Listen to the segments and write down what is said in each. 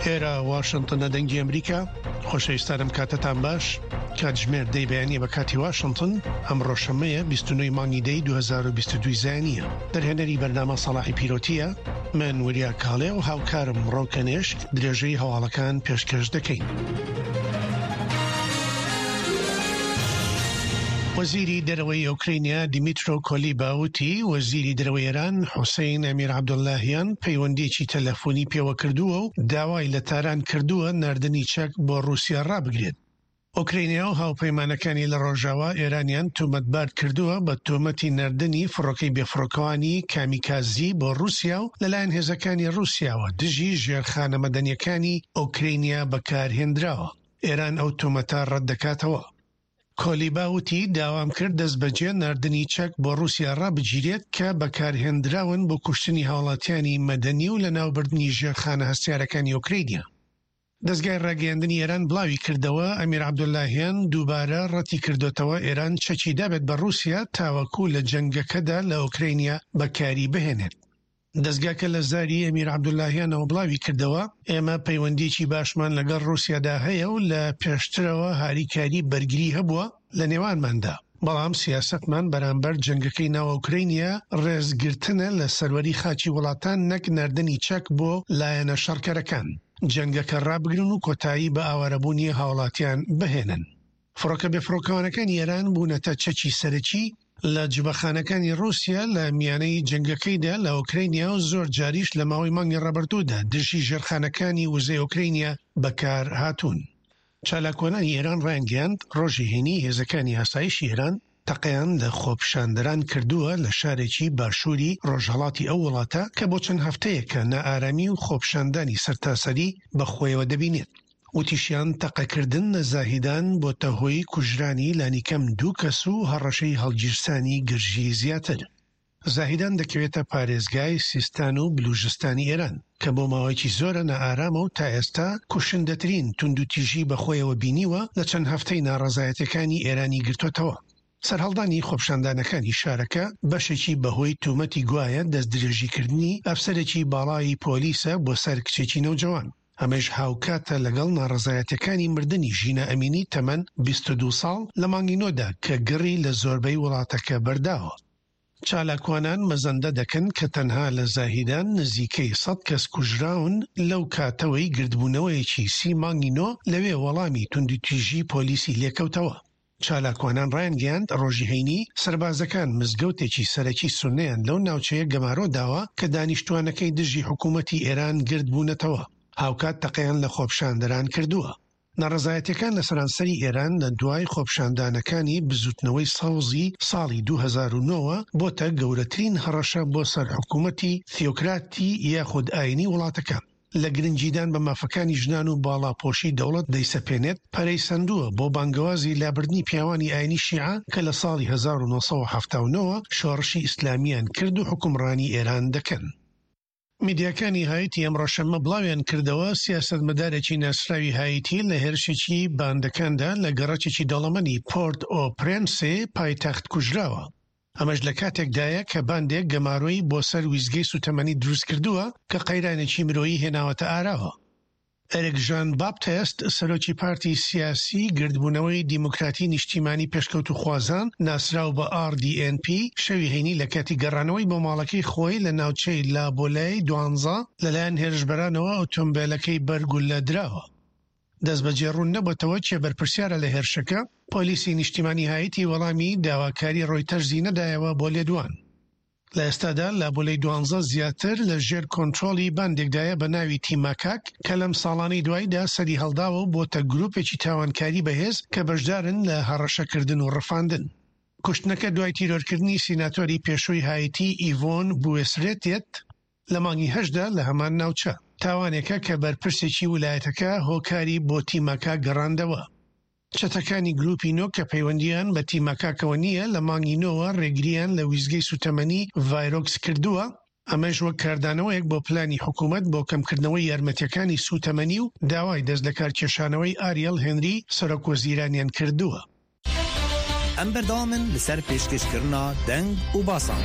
ئێرە واشنتنە دەنگی ئەمریکا خۆشەویستانم کاتتان باش کاتژمێر دەی بەیانیە بە کاتی واشنتن ئەمڕۆ شەممەیە 29 مانگی دەی 2022 زایانیە دەرهێنەری بەرنامە سەڵاحی پیرۆتیە من وریا کاڵێ و هاوکارم ڕەوکەنێشک درێژەی هەواڵەکان پێشکەش دەکەین. وەزیری دەرەوەی ئۆکرینیا دیمیترۆ کۆلیبا وتی وەزیری دەرەوەی ئێران حوسەین ئەمیر عەبدوڵلاهیان پەیوەندییەکی تەلەفۆنی پێوە کردووە و داوای لە تاران کردووە ناردنی چەک بۆ ڕووسیا ڕابگرێت. ئۆکرەینیا و هاوپەیمانەکانی لە ڕۆژاوا ئێرانیان تۆمەتبار کردووە بە تۆمەتی ناردنی فڕۆکەی بێفڕۆکەوانی کامیکازی بۆ ڕووسیا و لەلایەن هێزەکانی ڕووسیاوە دژی ژێرخانە مەدەنییەکانی ئۆکرەینیا بەکارهێندراوە. ئێران ئەو تۆمەتە ڕەتدەکاتەوە. کۆلیبا وتی، داوام کرد دەستبەجێ ناردنی چەک بۆ ڕووسیا ڕابگیرێت کە بەکارهێندراون بۆ کوشتنی هاوڵاتیانی مەدەنی و لەناوبردنی ژێرخانە هەستیارەکانی ئۆکرەینیا. دەزگای ڕاگەیاندنی ئێران بڵاوی کردەوە، ئەمیر عەبدولاهیان دووبارە ڕەتی کردۆتەوە ئێران چەکی دابێت بە ڕووسیا تاوەکو لە جەنگەکەدا لە ئۆکرەینیا بەکاری بهێنێت. دەزگاکە لە زاری ئەمیر عەبدولاهیانەوە بڵاوی کردەوە، ئێمە پەیوەندییەکی باشمان لەگەڵ ڕووسیادا هەیە و لە پێشترەوە هاریکاری بەرگری هەبووە لە نێوانماندا، بەڵام سیاسەتمان بەرامبەر جەنگەکەی ناو ئۆکرەینیا ڕێزگرتنە لە سەروەری خاکی وڵاتان نەک ناردنی چەک بۆ لایەنە شەڕکەرەکان، جەنگەکە ڕابگرن و کۆتایی بە ئاوارەبوونی هاوڵاتیان بهێنن. فڕۆکە بێفڕۆکەوانەکانی ئێران بوونەتە چەکی سەرەکی لە جبەخانەکانی ڕووسیا لە میانەی جەنگەکەیدا لە ئۆکرەینیا و زۆر جاریش لە ماوەی مانگی ڕابردوودا دژی ژێرخانەکانی وزەی ئۆکرەینیا بەکارهاتوون. چالاکوانانی ئێران ڕایانگەیاند، ڕۆژی هەینی هێزەکانی ئاسایشی ئێران تەقەیان لە خۆپیشاندەران کردووە لە شارێکی باشووری ڕۆژهەڵاتی ئەو وڵاتە کە بۆ چەند هەفتەیەکە نائارامی و خۆپیشاندانی سەرتاسەری بەخۆیەوە دەبینێت. وتیشیان، تەقەکردن لە زاهیدان بۆتە هۆی کوژرانی لانیکەم دوو کەس و هەڕەشەی هەڵگیرسانی گرژی زیاتر. زاهیدان دەکەوێتە پارێزگای سیستان و بلوژستانی ئێران، کە بۆ ماوەیەکی زۆرە نائارامە و تا ئێستا کوشندەترین توندوتیژی بەخۆیەوە بینیوە لە چەند هەفتەی ناڕەزایەتیەکانی ئێرانی گرتۆتەوە. سەرهەڵدانی خۆپیشاندانەکانی شارەکە بەشێکی بەهۆی تومەتی گوایە دەستدرێژیکردنی ئەفسەرێکی باڵای پۆلیسە بۆ سەر کچێکی نەوجەوان. ئەمەیش هاوکاتە لەگەڵ ناڕەزایەتیەکانی مردنی ژینا ئەمینی تەمەن 22 ساڵ لە مانگی نۆدا کە گڕی لە زۆربەی وڵاتەکە بەرداوە. چالاکوانان مەزەندە دەکەن کە تەنها لە زاهیدان نزیکەی سەد کەس کوژراون لەو کاتەوەی گردبوونەوەیەکی سی مانگی نۆ لەوێ وەڵامی توندوتیژی پۆلیسی لێکەوتەوە. چالاکوانان ڕایانگەیاند، ڕۆژی هەینی، سەربازەکان مزگەوتێکی سەرەکی سوننەیان لەو ناوچەیە گەمارۆ داوە کە دانیشتووانەکەی دژی حکوومەتی ئێران گردبوونەتەوە، هاوکات تەقەیان لە خۆپیشاندەران کردووە. ناڕەزایەتیەکان لە سەرانسەری ئێران لە دوای خۆپیشاندانەکانی بزوتنەوەی سەوزی ساڵی 2009 وە بۆتە گەورەترین هەڕەشە بۆ سەر حکومەتی تیۆکراتی یاخود ئاینی وڵاتەکە لە گرنگیدان بە مافەکانی ژنان و باڵاپۆشی دەوڵەت دەیسەپێنێت پەرەی سەندووە بۆ بانگەوازی لابردنی پیاوانی ئاینی شیعە کە لە ساڵی 1979 وە شۆڕشی ئیسلامیان کرد و حوکمڕانی ئێران دەکەن. میدیاکانی هایتی ئەمڕۆ شەممە بڵاویان کردەوە، سیاسەتمەدارێکی ناسراوی هایتی لە هێرشێکی باندەکاندا لە گەڕەکێکی دەوڵەمەنی پۆرت ئۆ پرێنسێ پایتەخت کوژراوە. ئەمەش لە کاتێکدایە کە باندێک گەمارۆی بۆ سەر ویستگەی سوتەمەنی دروستکردووە کە قەیرانێکی مرۆیی هێناوەتە ئاراوە. ئێریک ژان باپتێست، سەرۆکی پارتی سیاسی گردبوونەوەی دیموکراتی نیشتیمانی پێشکەوتووخوازان، ناسراو بە RDNP، شەوی هەینی لە کاتی گەڕانەوەی بۆ ماڵەکەی خۆی لە ناوچەی لابۆلای دوانزە لەلایەن هێرشبەرانەوە ئۆتۆمبێلەکەی بەر گوللە دراوە. دەستبەجێ ڕوون نەبۆتەوە کێ بەرپرسیارە لە هێرشەکە، پۆلیسی نیشتیمانی هایتی وەڵامی داواکاری ڕۆیتەرزی نەدایەوە بۆ لێدوان. لە ئێستادا لابولەی دوانزە زیاتر لە ژێر کۆنترۆڵی باندێکدایە بە ناوی تیماکاک کە لەم ساڵانەی دواییدا سەری هەڵداوە و بۆتە گروپێکی تاوانکاری بەهێز کە بەشدارن لە هەڕەشەکردن و ڕفاندن. کوشتنەکە دوای تیرۆرکردنی سیناتۆری پێشووی هایتی ئیڤۆن بوێسرێت دێت لە مانگی هەشتدا لە هەمان ناوچە. تاوانێکە کە بەرپرسێکی ولایەتەکە هۆکاری بۆ تیماکاک گەڕاندەوە. چەتەکانی گروپی نۆ کە پەیوەندییان بە تیماکاکەوە نییە، لە مانگی نۆوە ڕێگرییان لە ویستگەی سوتەمەنی ڤایرۆکس کردووە، ئەمەش وەک کاردانەوەیەک بۆ پلانی حکومەت بۆ کەمکردنەوەی یارمەتییەکانی سوتەمەنی و داوای دەستلەکارکێشانەوەی ئاریەل هێنری سەرۆکوەزیرانیان کردووە. ئەم بەردەوامن لەسەر پێشکەشکردنا دەنگ و باسان.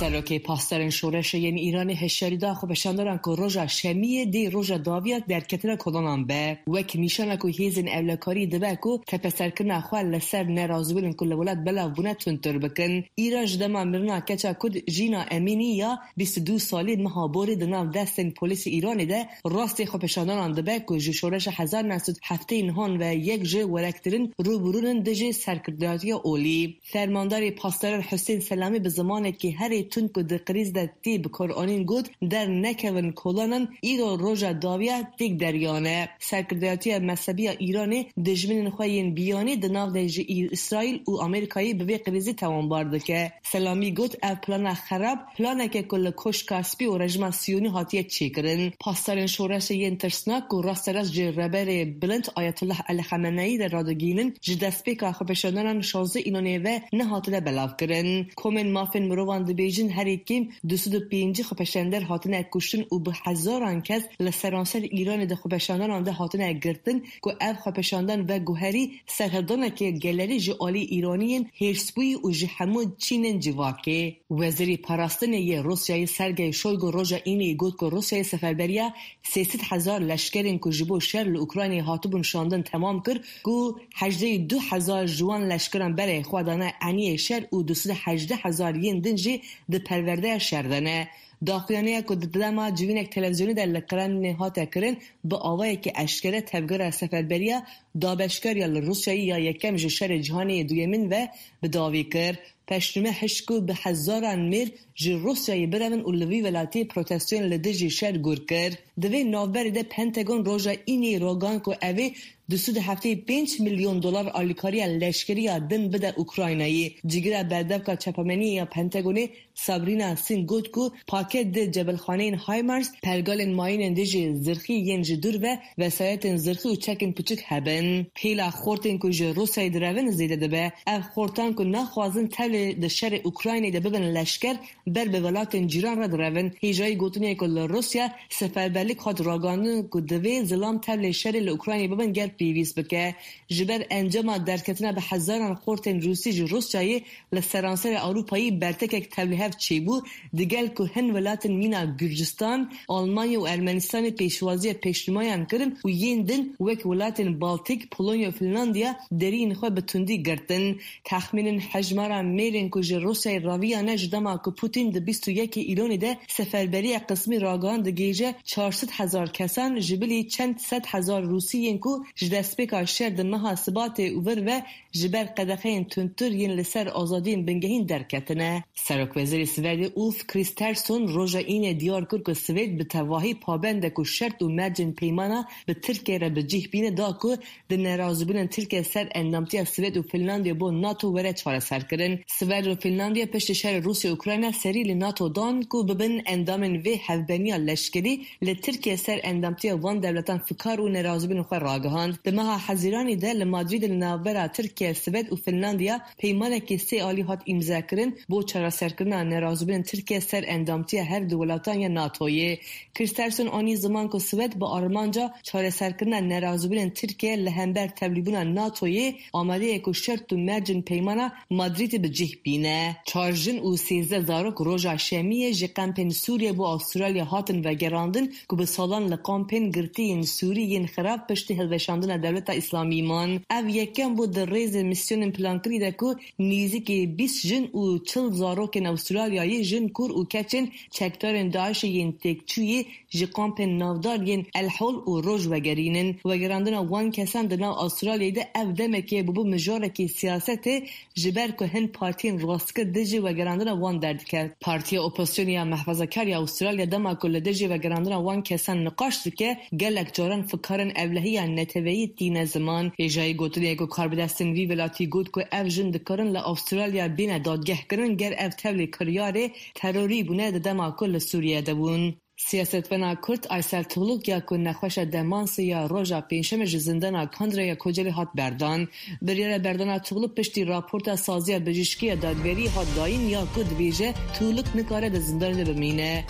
Serokê Pasdarên Şoreşê yên Îranê hişyarî da xwepêşandaran ku roja Şemiyê dê roja dawiya derketina kolanan be. Wek nîşana ku hêzên ewlekarî dibe ku tepeserkirina xwe li ser nerazîbûnên ku li welat belav bûne tundtir bikin. Îran ji dema mirina keça Kurd Jîna Emînî ya 22 salî meha borî di nav destên polîsê Îranê de rastî xwepêşandanan dibe ku ji şoreşa 1979 ve yek ji werektirin rûbirû in dijî serkirdayetiya olî. Fermandarê Pasdaran Husên Selamî bi zimanekî herî tund ku di krîz de tê bikaranîn got, Dernekevin kolanan, îro roja dawiya têk deriyan e. Serkirdayetiya mezhebî ya Îranê dijminên xwe yên biyanî di nav de ji Îsraîl û Amerîkayê bi vê krîzê tawanbar dike. Selamî got, Ev plana xerab, planeke ku li Koşka Spî û rejima Siyonî hatiye çêkirin. Pasdarên şoreşê yên tirsnak ku rasterast ji Rêberê Bilind Ayetullah Elî Xameneyî re radigihînin, ji destpêka xwepêşandanan 16 Îlonê ve nehatine belavkirin. Komên mafên mirovan dibêjin herî kêm 250 xwepêşander hatine kuştin û bi hezaran kes li seranser Îranê di xwepêşandanan de hatine girtin ku ev xwepêşandan veguherî serhildaneke gelerî ji alî Îraniyên hêrsbûyî û ji hemû çînên civakê. Wezîrê Parastinê yê Rûsyayê Sergey Shoigu roja Înê got ku Rûsyayê seferberiya 300,000 leşkerên ku ji bo şer li Ukraynayê hatibûn şandin temam kir ku 82,000 ji wan leşkeran berê xwe dane eniyê şer û 218,000 yên din jî di perwerdeya şer de ne. Daxuyaniya ku di dema civînek televîzyonî de li Kremlînê hate kirin, bi awayekî eşkere tevgera seferberiya dabeşkar ya li Rûsyayê ya yekem ji Şerê Cîhanê yê Duyemîn ve bi dawî kir. Peşnûme hişt ku bi hezaran mêr ji Rûsyayê birevin û li vî welatî protestoyên li dijî şer gur kir. Di vê navberê de Pentagon roja Înê ragihand ku ev ê 275 milyon dolar alîkariya leşkerî ya din bide Ukraynayê. Cîgira Berdevka Çapemeniyê ya Pentagonê Sabrina Singh got ku paket di cebilxaneyên HIMARS, pergalên mayînên dijî zirxî yên ji dûr ve, vesayetên zirxî û çekên piçûk hebin. Pêla xortên ku ji Rûsyayê direvin zêde dibe. Ev xortan ku naxwazin tevlê di şerê Ukraynayê de bibin leşker, ber bi welatên cîran re direvin. Hêjayî gotinê ku li Rûsya seferberlik hat ragihandin ku divê zilam tevlê şerê li Ukraynayê bibin ger pêwîst bike. Ji ber encama derketina bi hezaran xortên Rûsî ji Rûsyayê Li seranserê Ewropayê bertekek tevlihev çêbû, digel ku hin welatên mîna Gurcistan, Almanya û Ermenistanê pêşwaziya pêşnûmayan kirin û yên din wek welatên Baltik, Polonya û Finlandiya deriyên xwe bi tundî girtin. Texmînên hejmara mêrên ku ji Rûsyayê raviyane ji dema ku Putin di 21 ê Îlonê de seferberiya qismî ragihand digihîje 400,000 kesan ji bilî çend sedhezar Rûsî yên ku ji destpêka şer di meha Sibatê û vir ve ji ber qedexeyên tundtir yên li ser azadiyên bingehîn derketine. Serokwezîrê Swêdê Ulf Kristersson roja Înê diyar kir ku Swêd bi tevahî pabend e ku şert û mercên peymana bi Tirkiyeyê re bi cih bîne da ku di nerazîbûnên Tirkiye ser endamtiya Swêd û Finlandiya bo NATO were çareserkirin. Swêd û Finlandiya piştî şerê Rûsya û Ukrayna serî li NATO dan ku bibin endamên vê hevbeniya leşkerî Li Tirkiye ser endamtiya van dewletan fikar û nerazîbûnên xwe ragihand. Di meha Hezîranê de li Madrîdê li navbera Tirkiye, Swêd û Finlandiya peymanekî sê alî hat îmzekirin bo çareserkirina nerazîbûnên Tirkiye ser endamtiya her du welatan ya NATOyê. Kristersson anî ziman ku Swêd bi armanca çareserkirina nerazîbûnên Tirkiye li hember tevlîbûna NATOyê amade ye ku şert û mercên peymana Madrîdê bi cih bîne. Çar jin û 13 zarok roja Şemiyê ji kampên Sûriye bo Avustralya hatin vegerandin ku bi salan li kampên girtî yên Sûrî yên xerab piştî hilweşandina Dewleta Îslamî man. Ev yekem bû di rêzê misyonên plankirî de ku nêzîkî 20 jin û 40 zarokên Avustralyayê jin, kur û keçên çekdarên DAIŞ'ê yên têkçûyî ji kampên navdar yên El Hol û Roj vegerînin. Vegerandina wan kesan di nav Avustralyayê de ev demekê bûbû mijarekî siyasetê ji ber ku hin partiyên rastgir dijî vegerandina wan derdiket. Partiya Opozisyonê ya Mehfezakar ya Avustralya dema ku li dijî vegerandina wan kesan niqaş dike, gelek caran fikarên ewlehiya neteweyî tîne ziman. Hêjayî gotinê ku karbidestên vî welatî got ku ev jin dikarin li Avustralya bêne dadgehkirin ger ev tevlî kiryarê terorî bûne di dema ku li Sûriye de bûn. Siyasetvana Kurd Aysel Tugluk ya ku nexweşa demansê ya roja pêncşemê ji zindana Kandira ya Kocaelê hat berdan. Biryara berdana Tugluk piştî raporta saziya bijîşkî ya dadgeriyê hat dayîn ya ku dibêje Tugluk nikare di zindanê de bimîne.